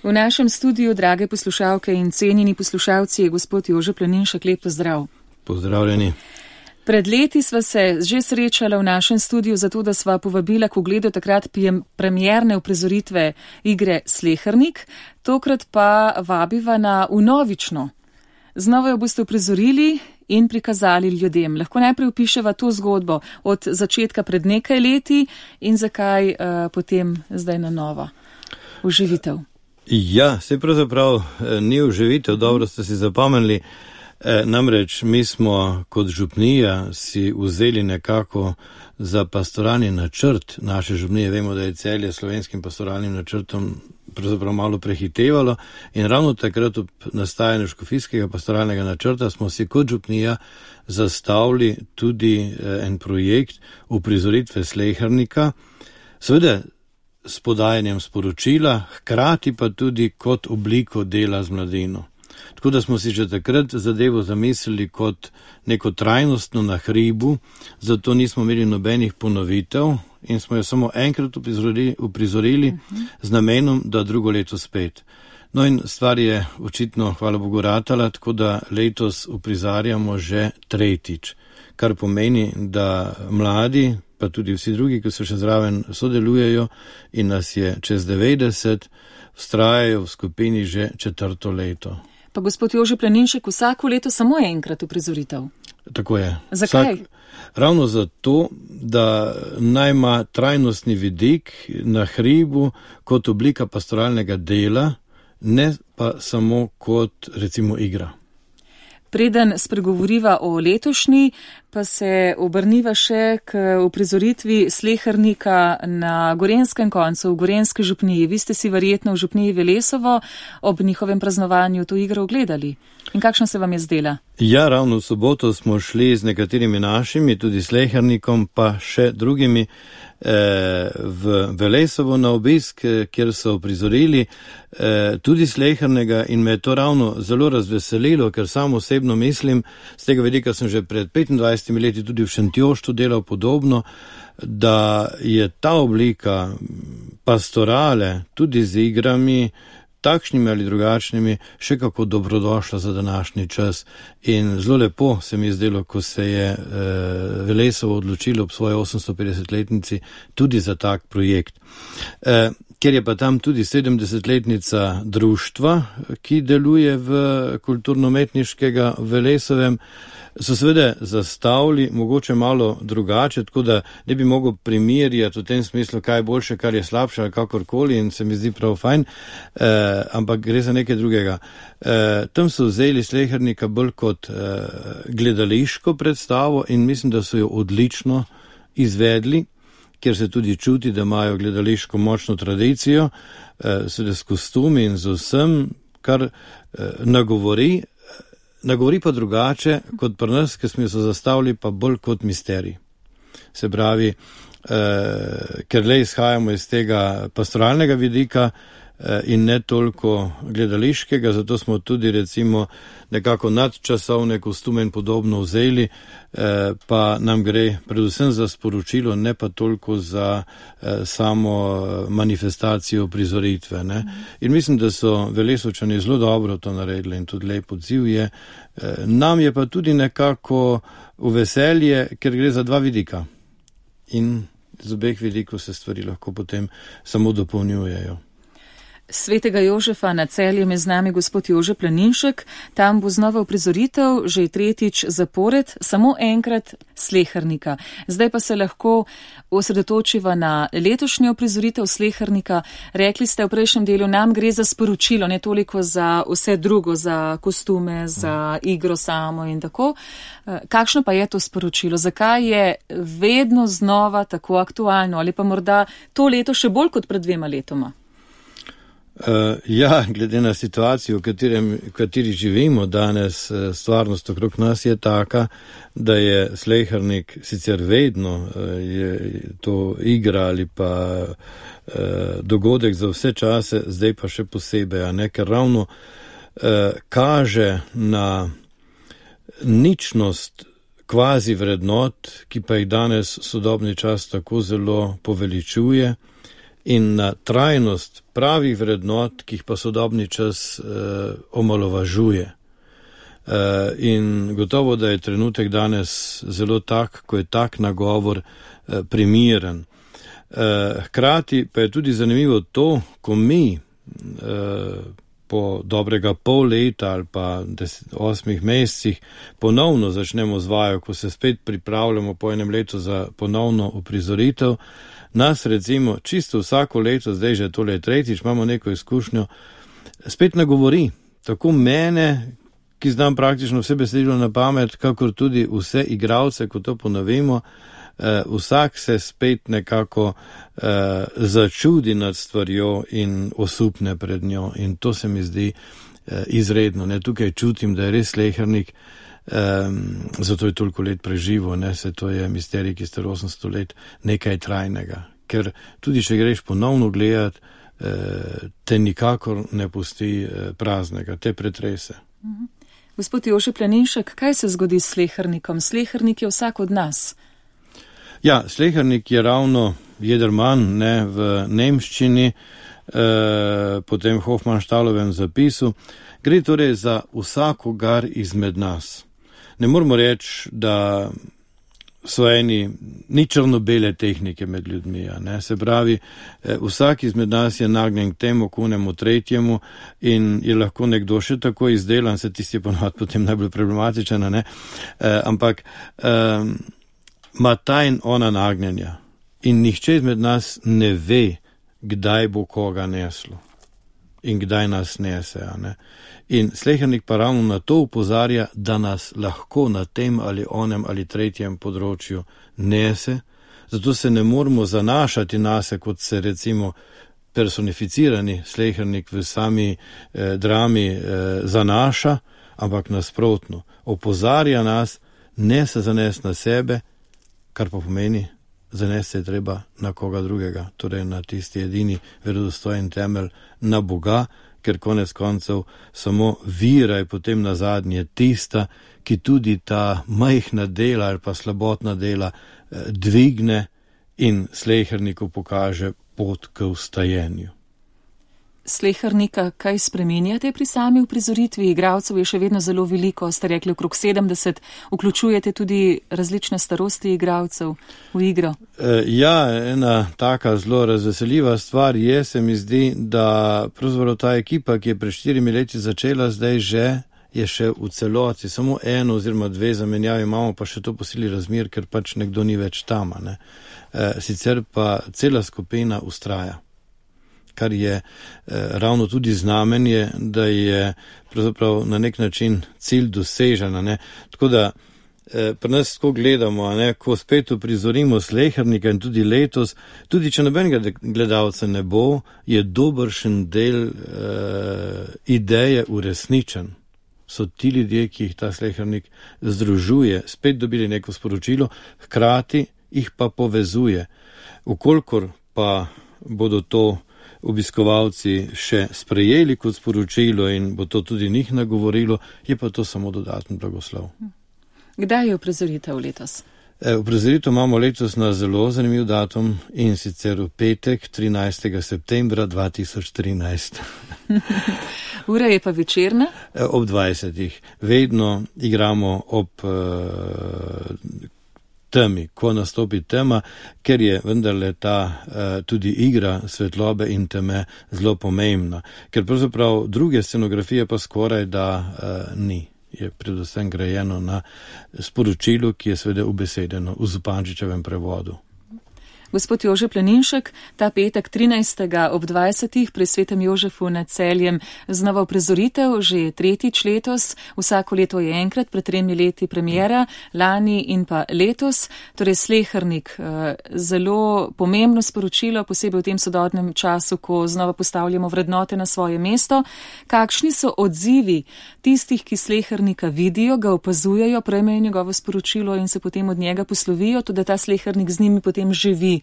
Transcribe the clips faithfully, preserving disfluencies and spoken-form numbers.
V našem studiu, drage poslušalke in cenjeni poslušalci, je gospod Jože Planinšek, lep pozdrav. Pozdravljeni. Pred leti sva se že srečala v našem studiu zato, da sva povabila k ogledu takrat premierne uprizoritve igre Slehernik, tokrat pa vabiva na vnovično. Znova jo boste uprizorili in prikazali ljudem. Lahko najprej opiševa to zgodbo od začetka pred nekaj leti in zakaj uh, potem zdaj na novo. Uživitev. Ja, se pravzaprav ni uživitev, dobro ste si zapomnili. E, namreč mi smo kot župnija si vzeli nekako za pastoralni načrt naše župnije. Vemo, da je Celje slovenskim pastoralnim načrtom pravzaprav malo prehitevalo in ravno takrat ob nastajanju škofijskega pastoralnega načrta smo si kot župnija zastavili tudi en projekt uprizoritve Slehernika, seveda s podajanjem sporočila, hkrati pa tudi kot obliko dela z mladino. Tako da smo si že takrat zadevo zamislili kot neko trajnostno na hribu, zato nismo imeli nobenih ponovitev in smo jo samo enkrat uprizorili, uprizorili uh-huh. z namenom, da drugo leto spet. No in stvar je očitno, hvala Bogu, ratala, tako da letos uprizarjamo že tretjič, kar pomeni, da mladi, pa tudi vsi drugi, ki so še zraven, sodelujejo in nas je čez devetdeset, vztrajajo v skupini že četrto leto. Pa gospod Jože Planinšek, vsako leto samo enkrat uprizoritev. Tako je. Zakaj? Vsak, ravno zato, da naj ima trajnostni vidik na hribu kot oblika pastoralnega dela, ne pa samo kot recimo igra. Preden spregovoriva o letošnji, pa se obrniva še k uprizoritvi Slehernika na Gorenjskem koncu, v Gorenjski župniji. Vi ste si verjetno v župniji Velesovo ob njihovem praznovanju to igro ogledali. In kakšna se vam je zdela? Ja, ravno v soboto smo šli z nekaterimi našimi, tudi Slehernikom, pa še drugimi v Velesovo na obisk, kjer so uprizorili tudi Slehernega in me je to ravno zelo razveselilo, ker sam osebno mislim, z tega vidika sem že pred petindvajsetimi leti tudi v Šentjoštu delal podobno, da je ta oblika pastorale tudi z igrami, takšnimi ali drugačnimi, še kako dobrodošla za današnji čas. In zelo lepo se mi je zdelo, ko se je e, Velesovo odločilo ob svoji osemstopetdesetletnici tudi za tak projekt. E, ker je pa tam tudi sedemdesetletnica društva, ki deluje v kulturno-umetniškega Velesovem, so seveda zastavili mogoče malo drugače, tako da ne bi mogel primerjati v tem smislu, kaj je boljše, kar je slabše ali kakorkoli in se mi zdi prav fajn, eh, ampak gre za nekaj drugega. Eh, tam so vzeli Slehernika bolj kot eh, gledališko predstavo in mislim, da so jo odlično izvedli, ker se tudi čuti, da imajo gledališko močno tradicijo, eh, seveda s kostumi in z vsem, kar eh, nagovori, Nagovori pa drugače kot pri nas, ki smo jo zastavili pa bolj kot misterij. Se pravi, eh, ker le izhajamo iz tega pastoralnega vidika eh, in ne toliko gledališkega, zato smo tudi recimo nekako nadčasovne kostume in podobno vzeli, eh, pa nam gre predvsem za sporočilo, ne pa toliko za eh, samo manifestacijo prizoritve. Ne? In mislim, da so Velesovčani zelo dobro to naredili in tudi lep odziv je. Eh, nam je pa tudi nekako v veselje, ker gre za dva vidika. In z obeh vidikov se stvari lahko potem samo dopolnjujejo. Svetega Jožefa na Celjem je z nami gospod Jože Planinšek. Tam bo znova uprizoritev, že tretjič zapored, samo enkrat Slehernika. Zdaj pa se lahko osredotočiva na letošnjo uprizoritev Slehernika. Rekli ste v prejšnjem delu, nam gre za sporočilo, ne toliko za vse drugo, za kostume, za igro samo in tako. Kakšno pa je to sporočilo? Zakaj je vedno znova tako aktualno? Ali pa morda to leto še bolj kot pred dvema letoma? Uh, ja, glede na situacijo, v, katerem, v kateri živimo danes, stvarnost okrog nas je taka, da je Slehernik sicer vedno uh, je to igra ali pa uh, dogodek za vse čase, zdaj pa še posebej, a ne, ker ravno uh, kaže na ničnost kvazi vrednot, ki pa jih danes sodobni čas tako zelo poveličuje in na trajnost pravih vrednot, ki jih pa sodobni čas eh, omalovažuje. Eh, in gotovo, da je trenutek danes zelo tak, ko je tak nagovor eh, primiren. Eh, hkrati pa je tudi zanimivo to, ko mi eh, po dobrega pol leta ali pa deset, osmih mesecih ponovno začnemo z vajo, ko se spet pripravljamo po enem letu za ponovno uprizoritev, nas recimo čisto vsako leto, zdaj že tole tretjič, imamo neko izkušnjo, spet nagovori, tako mene, ki znam praktično vse besedilo na pamet, kakor tudi vse igralce, ko to ponovimo, eh, vsak se spet nekako eh, začudi nad stvarjo in osupne pred njo in to se mi zdi eh, izredno. Ne? Tukaj čutim, da je res Slehernik, eh, zato je toliko let preživo, ne? Se to je misterij, ki star osemsto let, nekaj trajnega. Ker tudi, če greš ponovno gledati, eh, te nikakor ne pusti eh, praznega, te pretrese. Mhm. Gospod Jože Planinšek, kaj se zgodi s Slehernikom? Slehernik je vsak od nas. Ja, Slehernik je ravno Jedermann, ne, v nemščini, eh, potem Hofmannstalovem zapisu. Gre torej za vsakogar izmed nas. Ne moramo reči, da so eni ni črno-bele tehnike med ljudmi. Ne? Se pravi, eh, vsak izmed nas je nagnjen k temu, kunemu, tretjemu in je lahko nekdo še tako izdelan, se tisti je ponovadi potem najbolj problematičen, ne? Eh, ampak eh, ima ta in ona nagnjenja in nihče izmed nas ne ve, kdaj bo koga neslo in kdaj nas nese. Ne? In Slehernik pa ravno na to upozarja, da nas lahko na tem ali onem ali tretjem področju nese, zato se ne moramo zanašati nase, kot se recimo personificirani Slehernik v sami eh, drami eh, zanaša, ampak nasprotno. Opozarja nas, ne se zanes na sebe, kar pa pomeni, zanes se je treba na koga drugega, torej na tisti edini verodostojen temelj, na Boga, ker konec koncev samo vira je potem na zadnje tista, ki tudi ta majhna dela ali pa slabotna dela eh, dvigne in Sleherniku pokaže pot k vstajenju. Slehernika kaj spreminjate pri sami uprizoritvi? Igralcev je še vedno zelo veliko, ste rekli okrog sedemdeset, vključujete tudi različne starosti igralcev v igro? E, ja, ena taka zelo razveseljiva stvar je, se mi zdi, da pravzaprav ta ekipa, ki je pred štirimi leti začela, zdaj že je še v celoti, samo eno oziroma dve zamenjavi imamo, pa še to po sili razmer, ker pač nekdo ni več tam. Ne? E, sicer pa cela skupina ustraja, kar je eh, ravno tudi znamenje, da je pravzaprav na nek način cilj dosežen. Ne? Tako da eh, pri nas tako gledamo, ne? Ko spet uprizorimo Slehernika in tudi letos, tudi če nobenega gledalca ne bo, je dobršen del eh, ideje uresničen. So ti ljudje, ki jih ta Slehernik združuje, spet dobili neko sporočilo, hkrati jih pa povezuje. Vkolikor pa bodo to obiskovalci še sprejeli kot sporočilo in bo to tudi njih nagovorilo, je pa to samo dodaten blagoslov. Kdaj je uprizoritev letos? E, uprizoritev imamo letos na zelo zanimiv datum in sicer v petek, trinajstega septembra dva tisoč trinajst. Ura je pa večerna? E, ob dvajsetih. Vedno igramo ob uh, temi, ko nastopi tema, ker je vendarle ta uh, tudi igra svetlobe in teme zelo pomembna. Ker pravzaprav druge scenografije pa skoraj da uh, ni. Je predvsem grajeno na sporočilu, ki je seveda ubesedeno v Zupančičevem prevodu. Gospod Jože Planinšek, ta petek trinajstega ob dvajsetih pri Svetem Jožefu nad Celjem znova uprizoritev, že tretjič letos, vsako leto je enkrat, pred tremi leti premiera, lani in pa letos, torej Slehernik, zelo pomembno sporočilo, posebej v tem sodobnem času, ko znova postavljamo vrednote na svoje mesto. Kakšni so odzivi tistih, ki Slehernika vidijo, ga opazujejo, prejmejo njegovo sporočilo in se potem od njega poslovijo, tudi ta Slehernik z njimi potem živi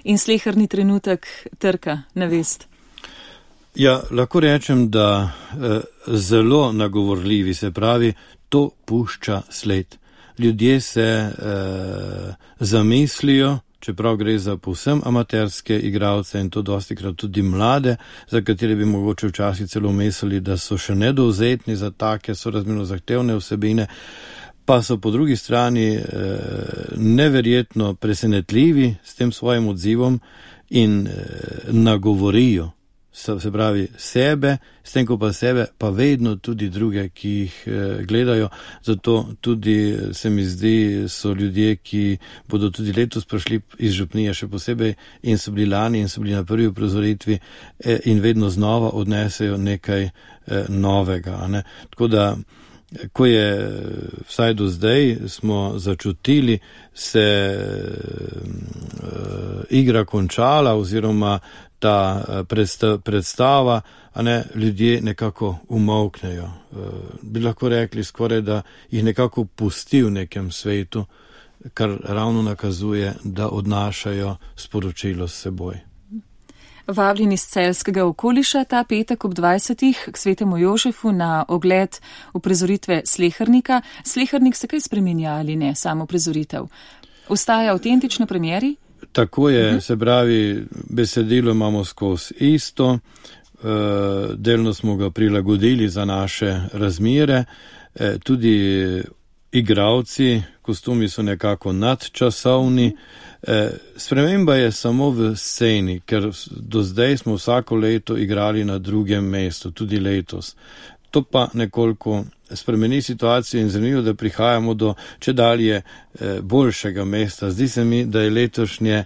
in sleherni trenutek trka na vest? Ja, lahko rečem, da eh, zelo nagovorljivi, se pravi, to pušča sled. Ljudje se eh, zamislijo, čeprav gre za povsem amaterske igralce in to dostikrat tudi mlade, za katere bi mogoče včasih celo mislili, da so še nedovzetni za take sorazmerno zahtevne vsebine, pa so po drugi strani eh, neverjetno presenetljivi s tem svojim odzivom in eh, nagovorijo, se, se pravi sebe, s tem ko pa sebe, pa vedno tudi druge, ki jih eh, gledajo. Zato tudi se mi zdi, so ljudje, ki bodo tudi letos prišli iz župnije še posebej in so bili lani in so bili na prvi uprizoritvi eh, in vedno znova odnesejo nekaj eh, novega. Ne? Tako da ko je vsaj do zdaj smo začutili, se uh, igra končala oziroma ta uh, predstava, a ne, ljudje nekako umolknejo. Uh, bi lahko rekli skoraj, da jih nekako pusti v nekem svetu, kar ravno nakazuje, da odnašajo sporočilo s seboj. Vabljeni iz celjskega okoliša ta petek ob dvajsetih k svetemu Jožefu na ogled uprizoritve Slehernika. Slehernik se kaj spreminja ali ne, samo uprizoritev? Ostaja avtentično premieri? Tako je, uh-huh. Se pravi, besedilo imamo skozi isto, uh, delno smo ga prilagodili za naše razmere, uh, tudi igralci, kostumi so nekako nadčasovni. Eh, sprememba je samo v sceni, ker do zdaj smo vsako leto igrali na drugem mestu, tudi letos. To pa nekoliko spremeni situacijo in zanimivo, da prihajamo do čedalje eh, boljšega mesta. Zdi se mi, da je letošnje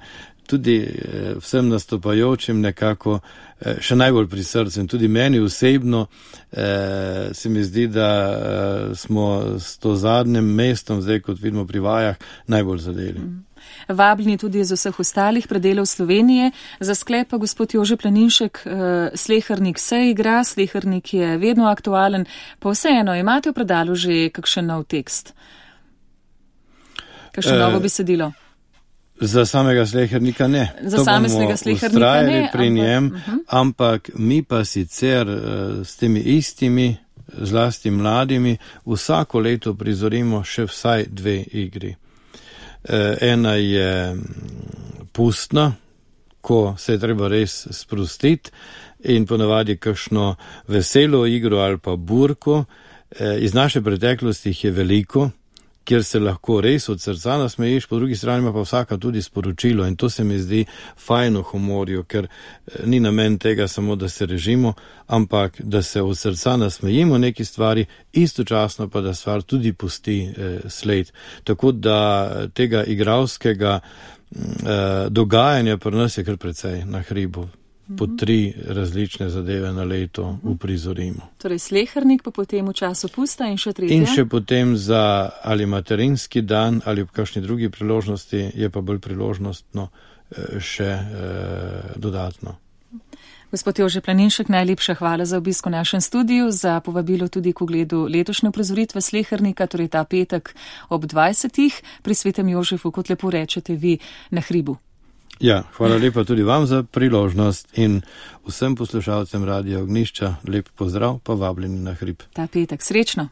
tudi eh, vsem nastopajočim nekako eh, še najbolj pri srcu in tudi meni osebno eh, se mi zdi, da eh, smo s to zadnjem mestom, zdaj kot vidimo pri vajah, najbolj zadeli. Mm. Vabljeni tudi iz vseh ostalih predelov Slovenije. Za sklep pa gospod Jože Planinšek, Slehernik se igra, Slehernik je vedno aktualen, pa vseeno imate v predalu že kakšen nov tekst? Kakšno e, novo besedilo? Za samega Slehernika ne. Za samega Slehernika ne. Pri ampak, njem, uh-huh. ampak mi pa sicer s temi istimi, zlasti mladimi, vsako leto prizorimo še vsaj dve igri. Ena je pustna, ko se je treba res sprostiti in ponavadi kakšno veselo igro ali pa burko. Iz naše preteklosti jih je veliko, kjer se lahko res od srca nasmejiš, po drugi strani ima pa vsaka tudi sporočilo in to se mi zdi fajno humorju, ker ni namen tega samo, da se režimo, ampak da se od srca nasmejimo neki stvari, istočasno pa da stvar tudi pusti eh, sled. Tako da tega igralskega eh, dogajanja pri nas je kar precej na hribu. Po tri različne zadeve na leto uprizorimo. Torej Slehernik pa potem v času pusta in še tretja? In še potem za ali materinski dan ali v kakšni drugi priložnosti je pa bolj priložnostno še eh, dodatno. Gospod Jože Planinšek, najlepša hvala za obisk v našem studiu, za povabilo tudi k ogledu letošnje uprizoritve Slehernika, torej ta petek ob dvajsetih pri svetem Jožefu, kot lepo rečete vi, na hribu. Ja, hvala lepa tudi vam za priložnost in vsem poslušalcem Radia Ognjišča lep pozdrav, pa vabljeni na hrib. Ta petek, srečno.